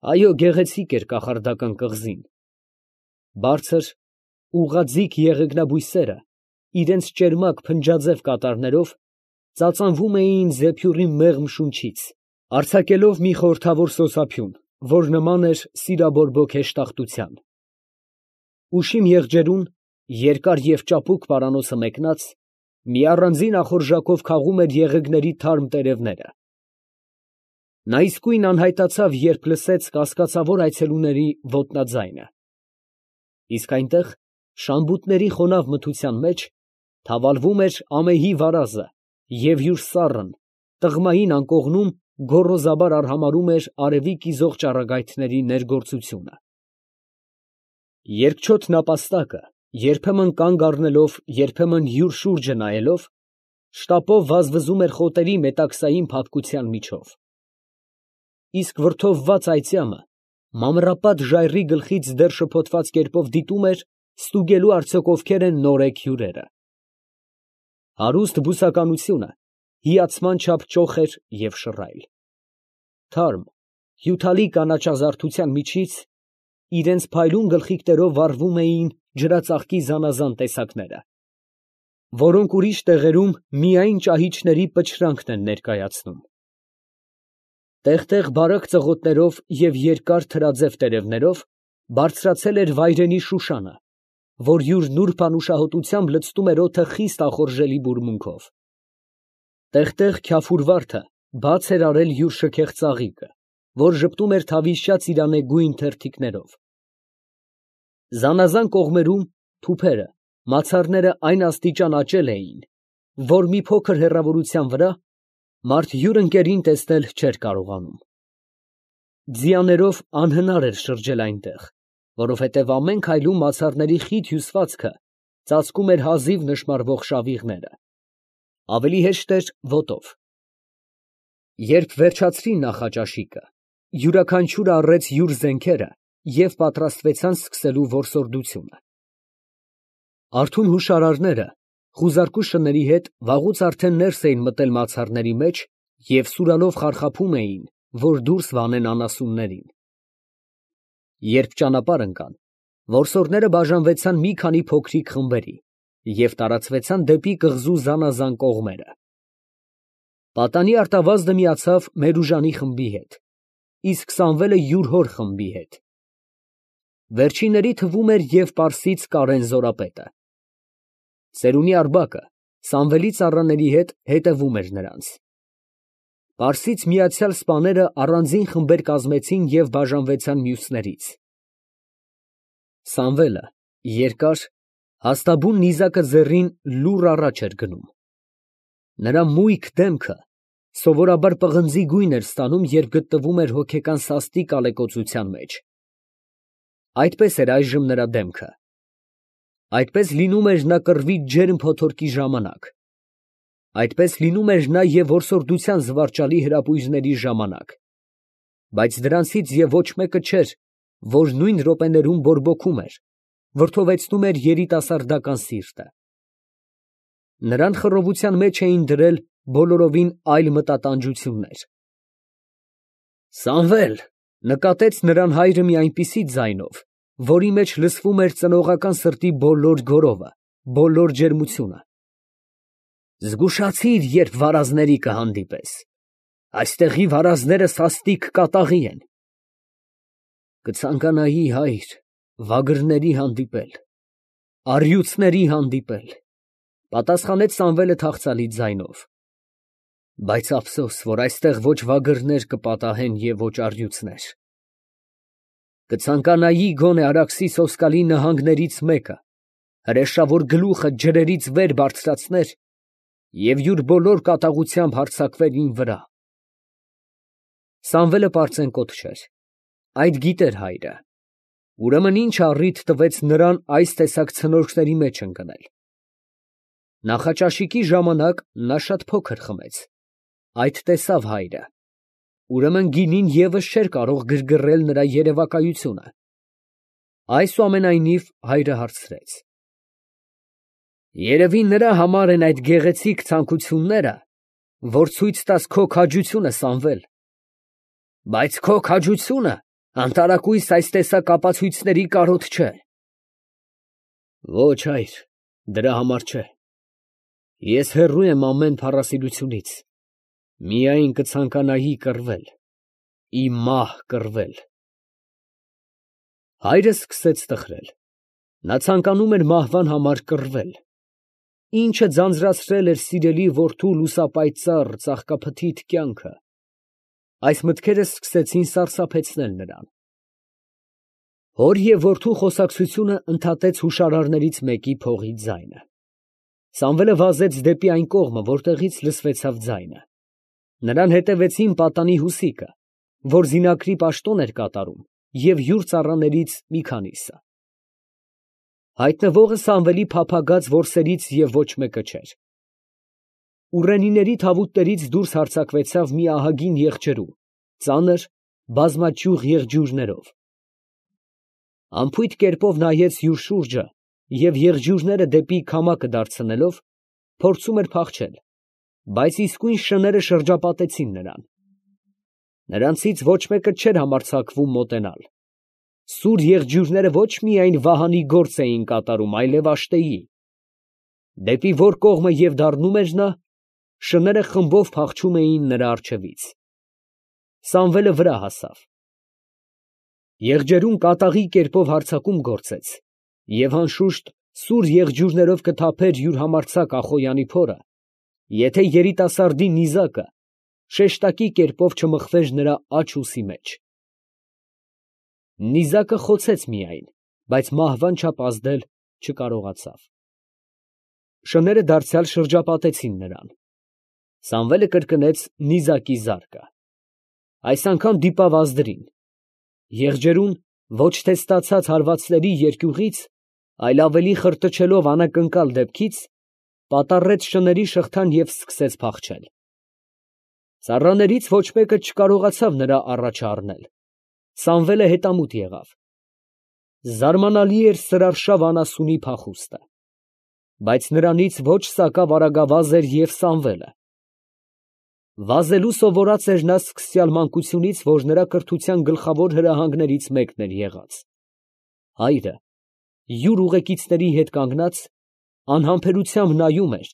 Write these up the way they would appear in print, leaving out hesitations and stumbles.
Այո, գեղեցիկ էր կախարդական կղզին. բարձր, ուղղաձիգ եղեգնաբույսերը իրենց ճերմակ փնջաձև կատարներով ծածանվում էին զեփյուռի մեղմ շունչից, արձակելով մի խորհրդավոր սոսափյուն, որ նման էր սիրաբորբոք հեշտախտության։ Ուշիմ եղջերուն, երկար և ճապուկ պարանոցը մեկնած, մի առանձին ախորժակով քաղում էր եղեգների թարմ տերևները։ Նա իսկույն անհայտացավ, երբ լսեց կասկածավոր այցելուների ոտնաձայնը։ Իսկ այնտեղ, շամբուտների խոնավ մթության մեջ, թավալվում էր ամեհի վարազը և յուր սառն, տղմային անկողնում գոռոզաբար արհամարհում էր արևի կիզող ճառագայթների ներգործությունը։ Երկչոտ նապաստակը, երբեմն կանգ առնելով, երբեմն յուր շուրջը նայելով, շտապով վազվզում էր խոտերի մետաքսային փափկության միջով։ Իսկ վրդովված այծյամը մանրապատ ժայռի գլխից դեռ շփոթված կերպով դիտում էր, ստուգելու արդյոք ովքեր են նորեկ հյուրերը։ Հարուստ բուսականությունը հիացման չափ ճոխ էր և շռայլ։ Թարմ, հյութալի կանաչազարդության միջից իրենց փայլուն գլխիկներով վառվում էին ջրածաղկի զանազան տեսակները, որոնք ուրիշ տեղերում միայն ճահիճների պչրանքն են ներկայացնում։ Տեղ֊տեղ բարակ ծղոտներով և երկար թրաձև տերևներով բարձրացել էր վայրենի շուշանը, որ յուր նուրբ անուշահոտությամբ լցնում էր օդը խիստ ախորժելի բուրմունքով։ Տեղ֊տեղ քյաֆուր վարդը բաց էր արել յուր շքեղ ծաղիկը, որ ժպտում էր թավիշյա ծիրանեգույն թերթիկներով։ Զանազան կողմերում թուփերը, մացառները այն աստիճան աճել էին, որ մի փոքր հեռավորության վրա մարդ յուր ընկերին տեսնել չէր կարողանում։ Ձիաներով անհնար էր շրջել այնտեղ, որովհետև ամեն քայլում մացառների խիտ հյուսվածքը ծածկում էր հազիվ նշմարվող շավիղները։ Ավելի հեշտ էր ոտով։ Երբ վերջացրին նախաճաշիկը, յուրաքանչյուրը առեց յուր զենքերը և պատրաստվեցան սկսելու որսորդությունը։ Արթուն հուշարարները խուզարկու շների հետ վաղուց արդեն ներս էին մտել մացառների մեջ և սուրալով խարխափում էին, որ դուրս վանեն անասուններին։ Երբ ճանապարհ ընկան, որսորդները բաժանվեցան մի քանի փոքրիկ խմբերի և տարածվեցան դեպի կղզու զանազան կողմերը։ Պատանի արտավազդը միացավ Մերուժանի խմբի հետ, իսկ Սամվելը յուր հոր խմբի հետ։ Վերջինների թվում էր և պարսից Կարեն զորապետը։ Ծերունի Արբակը Սամվելի ծառաների հետ հետևում էր նրանց։ Պարսից միացյալ սպաները առանձին խմբեր կազմեցին և բաժանվեցան մյուսներից։ Սամվելը երկար, հաստաբուն նիզակը ձեռին լուռ առաջ էր գնում։ Նրա մույկ դեմքը սովորաբար պղնձի գույն էր ստանում, երբ գտնվում էր հոգեկան սաստիկ ալեկոծության մեջ։ Այդպես էր այժմ նրա դեմքը։ Այդպես լինում էր նա կռվի ջերմ փոթորկի ժամանակ։ Այդպես լինում էր նա և որսորդության զվարճալի հրապույրների ժամանակ, բայց դրանցից և ոչ մեկը չէր, որ նույն րոպեներում բորբոքում էր, վրդովեցնում էր երիտասարդական սիրտը։ Նրան խռովության մեջ էին դրել բոլորովին այլ մտատանջություններ։ «Սամվել», ֊ նկատեց նրան հայրը մի այնպիսի ձայնով, որի մեջ լսվում էր ծնողական սրտի բոլոր գոռովը, բոլոր ջերմությունը։ «Զգուշացիր, երբ վարազների կհանդիպես. այստեղի վարազները սաստիկ կատաղի են»։ «Կցանկանայի, հայր, վագրների հանդիպել, առյուծների հանդիպել», ֊ պատասխանեց Սամվելը թախծալի ձայնով, «բայց ափսոս, որ այստեղ ոչ վագրներ կպատահեն և ոչ առյուծներ։ Կցանկանայի գոնե Արաքսի սոսկալի նահանգներից մեկը հրեշավոր գլուխը ջրերից վեր բարձրացներ և յուր բոլոր կատաղությամբ հարձակվեր իմ վրա»։ Սամվելը պարծենկոտ չէր. այդ գիտեր հայրը։ Ուրեմն ի՞նչ առիթ տվեց նրան այս տեսակ ցնորքների մեջ ընկնել։ Նախաճաշիկի ժամանակ նա շատ փոքր խմեց, այդ տեսավ հայրը, ուրեմն գինին ևս չէր կարող գրգռել նրա երևակայությունը։ Այսուամենայնիվ հայրը հարցրեց. «Երևի նրա համար են այդ գեղեցիկ ցանկությունները, որ ցույց տաս քո քաջությունը, Սամվել։ Բայց քո քաջությունը Անտարակույս այս տեսակ ապացույցների կարոտ չէ։ Ոչ, հայր, դրա համար չէ։ Ես հեռու եմ ամեն փառասիրությունից, միայն կցանկանայի կռվել, իմ մահ կռվել։ Հայրը սկսեց տխրել։ Նա ցանկանում էր մահվան համար կռվել։ Ինչը ձանձրացրել էր սիրելի որդու լուսապայծառ, ծաղկափթիթ կյանքը։ Այս մտքերը սկսեցին սարսափեցնել նրան։ Հոր և որդու խոսակցությունը ընդհատեց հուշարարներից մեկի փողի ձայնը։ Սամվելը վազեց դեպի այն կողմը, որտեղից լսվեցավ ձայնը։ Նրան հետևեցին պատանի Հուսիկը, որ զինակրի պաշտոն էր կատարում, և յուր ծառաներից մի քանիսը։ Հայտնվողը Սամվելի փափագած որսերից և ոչ մեկը չէր։ Ուռենիների թավուտներից դուրս հարձակվեցավ մի ահագին եղջերու, ծանր, բազմաճյուղ եղջյուրներով։ Անփույթ կերպով նայեց յուր շուրջը և եղջյուրները դեպի քամակը դարձնելով, փորձում էր փախչել, բայց իսկույն շները շրջապատեցին նրան։ Նրանցից ոչ մեկը չէր համարձակվում մոտենալ։ Սուր եղջյուրները ոչ միայն վահանի գործ էին կատարում, այլև աշտեի։ Դեպի որ կողմը և դառնում էր նա, շները խմբով փախչում էին նրա առջևից։ Սամվելը վրա հասավ։ Եղջերուն կատաղի կերպով հարձակում գործեց, և անշուշտ սուր եղջյուրներով կթափեր յուր համարձակ Ախոյանի փորը, եթե երիտասարդի նիզակը շեշտակի կերպով չմխվեր նրա աջ ուսի մեջ։ Նիզակը խոցեց միայն, բայց մահվան չափ ազդել չկարողացավ։ Շները դարձյալ շրջապատեցին նրան։ Սամվելը կրկնեց նիզակի զարկը։ Այս անգամ դիպավ ազդրին։ Եղջերուն ոչ թե ստացած հարվածների երկյուղից, այլ ավելի խրտչելով անակնկալ դեպքից, պատառեց շների շղթան և սկսեց փախչել։ Ծառաներից ոչ մեկը չկարողացավ նրա առաջը առնել։ Սամվելը հետամուտ եղավ։ Զարմանալի էր սրարշավ անասունի փախուստը։ Բայց նրանից ոչ սակավ արագավազ էր և Սամվելը։ Վազելու սովորած էր նա սկսյալ մանկությունից, որ նրա կրթության գլխավոր հրահանգներից մեկն էր եղած։ Հայրը յուր ուղեկիցների հետ կանգնած անհամբերությամբ նայում էր,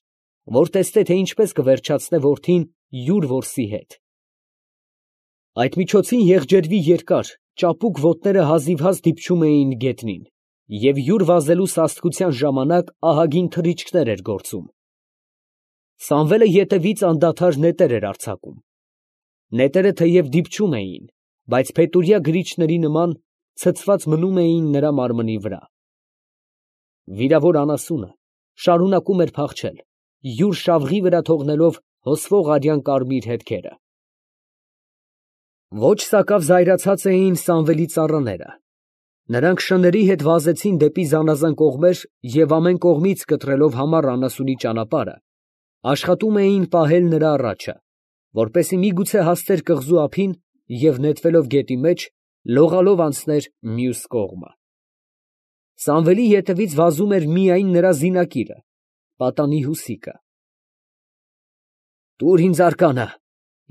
որ տեսնե, թե ինչպես կվերջացնե որդին յուր որսի հետ։ Այդ միջոցին եղջերվի երկար, ճապուկ ոտները հազիվհազ դիպչում էին գետնին, և յուր վազելու սաստկության ժամանակ ահագին թռիչքներ էր գործում։ Սամվելը ետևից անդադար նետեր էր արձակում։ Նետերը թեև դիպչում էին, բայց փետուրյա գրիչների նման ցցված մնում էին նրա մարմնի վրա։ Վիրավոր անասունը շարունակում էր փախչել, յուր շավղի վրա թողնելով հոսվող արյան կարմիր հետքերը։ Ոչ սակավ զայրացած էին Սամվելի ծառաները։ Նրանք շների հետ վազեցին դեպի զանազան կողմեր և ամեն կողմից կտրելով համառ անասունի ճանապարհը, աշխատում էին պահել նրա առաջը, որպեսզի միգուցե հասներ կղզու ափին և նետվելով գետի մեջ, լողալով անցներ մյուս կողմը։ Սամվելի ետևից վազում էր միայն նրա զինակիրը, պատանի Հուսիկը։ «Տուր ինձ արկանը,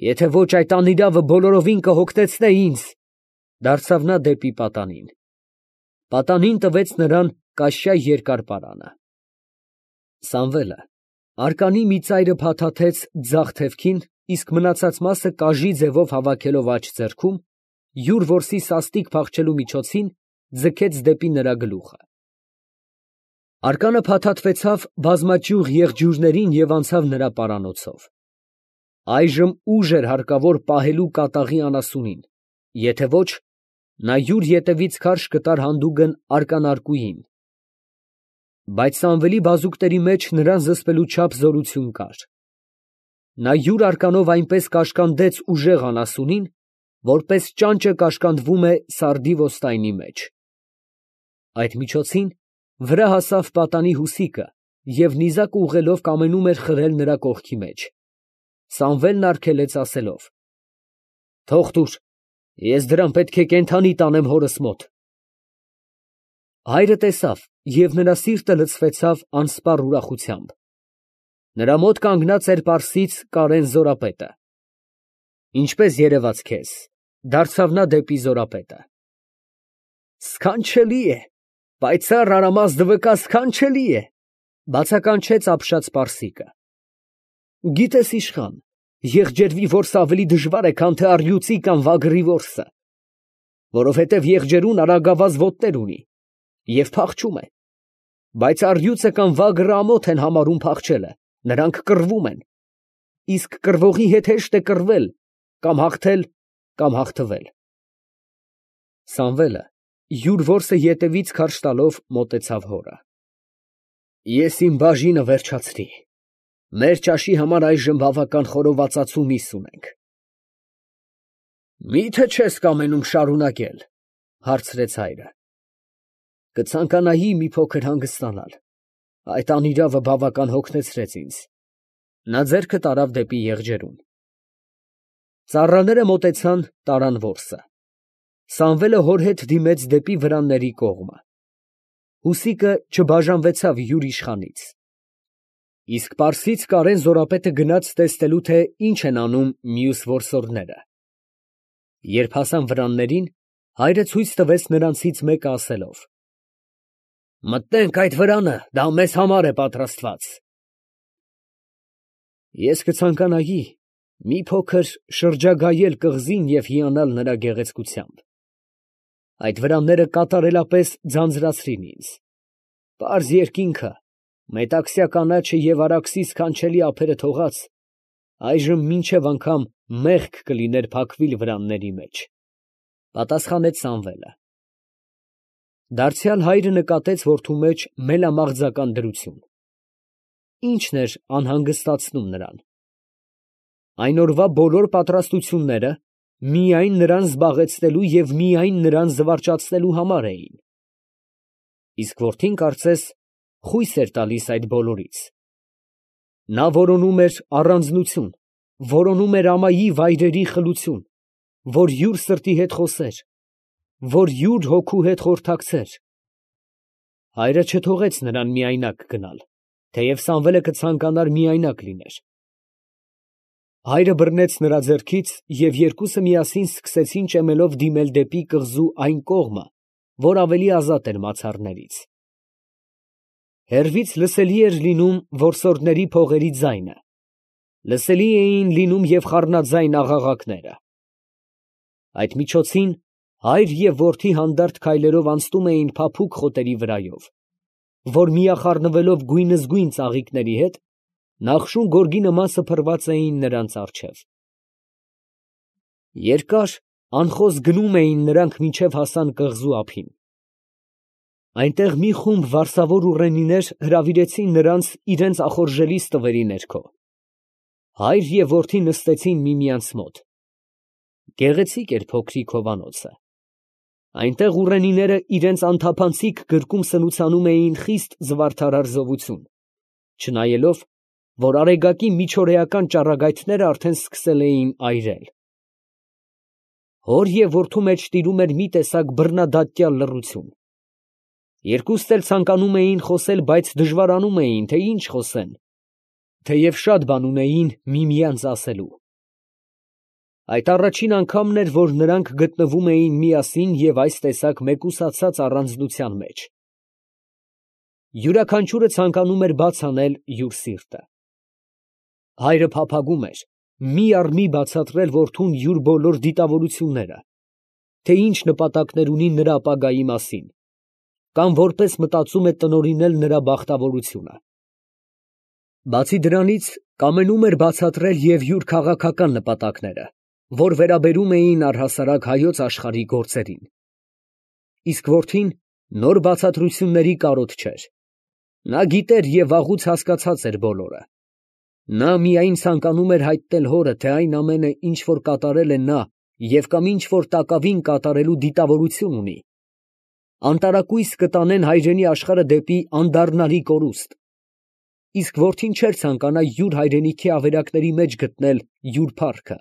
եթե ոչ այդ անիրավը բոլորովին կհոգնեցնե ինձ», ֊ դարձավ նա դեպի պատանին։ Պատանին տվեց նրան կաշյա երկար պարանը։ Սամվելը արկանի մի ծայրը փաթաթեց ձախ թևքին, իսկ մնացած մասը կաժի ձևով հավաքելով աջ ձեռքում, յուր որսի սաստիկ փախչելու միջոցին ձգեց դեպի նրա գլուխը։ Արկանը փաթաթվեցավ բազմաճյուղ եղջյուրներին և անցավ նրա պարանոցով։ Այժմ ուժ էր հարկավոր պահելու կատաղի անասունին, եթե ոչ, նա յուր ետևից քարշ կտար հանդուգն արկանարկուին։ Բայց Սամվելի բազուկների մեջ նրան զսպելու չափ զորություն կար։ Նա յուր արկանով այնպես կաշկանդեց ուժեղ անասունին, որպես ճանճը կաշկանդվում է սարդի ոստայնի մեջ։ Այդ միջոցին վրա հասավ պատանի Հուսիկը և նիզակը ուղղելով կամենում էր խրել նրա կողքի մեջ։ Սամվելն արգելեց ասելով. «Թող տուր, ես դրան պետք է կենդանի տանեմ հորս մոտ»։ Հայրը տեսավ, և նրա սիրտը լցվեցավ անսպառ ուրախությամբ։ Նրա մոտ կանգնած էր պարսից Կարեն զորապետը։ «Ինչպե՞ս երևաց քեզ», ֊ դարձավ նա դեպի զորապետը։ Սքանչելի է, պայծառ արամազդ վկա սքանչելի է, բացականչեց ապշած պարսիկը։ Գիտես իշխան, եղջերվի որսը ավելի դժվար է, քան թե առյուծի կամ վագրի որսը, որովհետև եղջերուն արագավազ ոտներ ունի և փախչում է, բայց առյուծը կամ վագրը ամոթ են համարում փախչելը, նրանք կռվում են, իսկ կռվողի հետ հեշտ է կռվել, կամ հաղթել, կամ հաղթվել։ Սամվելը յուր որսը ետևից քարշ տալով մոտեցավ հորը։ Ես իմ բաժինը վերջացրի, մեր ճաշի համար այժմ բավական խորովածածու միս ունենք։ Մի՞թե չես կամենում շարունակել, հարցրեց հայրը։ Կցանկանայի մի փոքր հանգստանալ, այդ անիրավը բավական հոգնեցրեց ինձ։ Նա ձեռքը տարավ դեպի եղջերուն։ Ծառաները մոտեցան, տարան որսը։ Սամվելը հոր հետ դիմեց դեպի վրանների կողմը։ Հուսիկը չբաժանվեցավ յուր իշխանից։ Իսկ պարսից Կարեն զորապետը գնաց տեսնելու, թե ինչ են անում մյուս որսորդները։ Երբ հասան վրաններին, հայրը ցույց տվեց նրանցից մեկը ասելով. Մտնենք այդ վրանը, դա մեզ համար է պատրաստված։ Ես կցանկանայի մի փոքր շրջագայել կղզին և հիանալ նրա գեղեցկությամբ։ Այդ վրանները կատարելապես ձանձրացրին ինձ։ Պարզ երկինքը, մետաքսյա կանաչը և Արաքսի սքանչելի ափերը թողած, այժմ մինչև անգամ մեղք կլիներ փակվիլ վրանների մեջ, պատասխանեց Սամվելը։ Դարձյալ հայրը նկատեց որդու մեջ մելամաղձական դրություն։ Ինչն էր անհանգստացնում նրան։ Այն օրվա բոլոր պատրաստությունները միայն նրան զբաղեցնելու և միայն նրան զվարճացնելու համար էին։ Իսկ որդին, կարծես, խույս էր տալիս այդ բոլորից։ Նա որոնում էր առանձնություն, որոնում էր ամայի վայրերի խլություն, որ յուր սրտի հետ խոսեր, որ յուր հոգու հետ խորհրդակցեր։ Հայրը չթողեց նրան միայնակ գնալ, թեև Սամվելը կցանկանար միայնակ լիներ։ Հայրը բռնեց նրա ձեռքից, և երկուսը միասին սկսեցին ճեմելով դիմել դեպի կղզու այն կողմը, որ ավելի ազատ էր մացառներից։ Հեռվից լսելի էր լինում որսորդների փողերի ձայնը, լսելի էին լինում և խառնաձայն աղաղակները։ Այդ միջոցին հայր և որդի հանդարտ քայլերով անցնում էին փափուկ խոտերի վրայով, որ միախառնվելով գույնզգույն ծաղիկների հետ, նախշուն գորգի նման սփռված էին նրանց առջև։ Երկար, անխոս գնում էին նրանք մինչև հասան կղզու ափին։ Այնտեղ մի խումբ վարսավոր ուռենիներ հրավիրեցին նրանց իրենց ախորժելի ստվերի ներքո։ Հայր և որդի նստեցին միմյանց մոտ։ Գեղեցիկ էր փոքրիկ հովանոցը։ Այնտեղ ուռենիները իրենց անթափանցիկ գրկում սնուցանում էին խիստ զվարթարար զովություն, չնայելով, որ արեգակի միջօրեական ճառագայթները արդեն սկսել էին այրել։ Հոր և որդու մեջ տիրում էր մի տեսակ բռնադատյալ լռություն։ Երկուստ էլ ցանկանում էին խոսել, բայց դժվարանում էին, թե ինչ խոսեն, թեև շատ բան ունեին միմյանց ասելու։ Այդ առաջին անգամն էր, որ նրանք գտնվում էին միասին և այս տեսակ մեկուսացած առանձնության մեջ։ Յուրաքանչյուրը ցանկանում էր բաց անել յուր սիրտը։ Հայրը փափագում էր մի առ մի բացատրել որդուն յուր բոլոր դիտավորությունները, թե ինչ նպատակներ ունի նրա ապագայի մասին, կամ որպես մտածում է տնօրինել նրա բախտավորությունը։ Բացի դրանից, կամենում էր բացատրել և յուր քաղաքական նպատակները, որ վերաբերում էին առհասարակ հայոց աշխարհի գործերին։ Իսկ որդին նոր բացատրությունների կարոտ չէր։ Նա գիտեր և վաղուց հասկացած էր բոլորը։ Նա միայն ցանկանում էր հայտնել հորը, թե այն ամենը, ինչ որ կատարել է նա և կամ ինչ որ տակավին կատարելու դիտավորություն ունի, անտարակույս կտանեն հայրենի աշխարհը դեպի անդառնալի կորուստ, իսկ որդին չէր ցանկանա յուր հայրենիքի ավերակների մեջ գտնել յուր փառքը։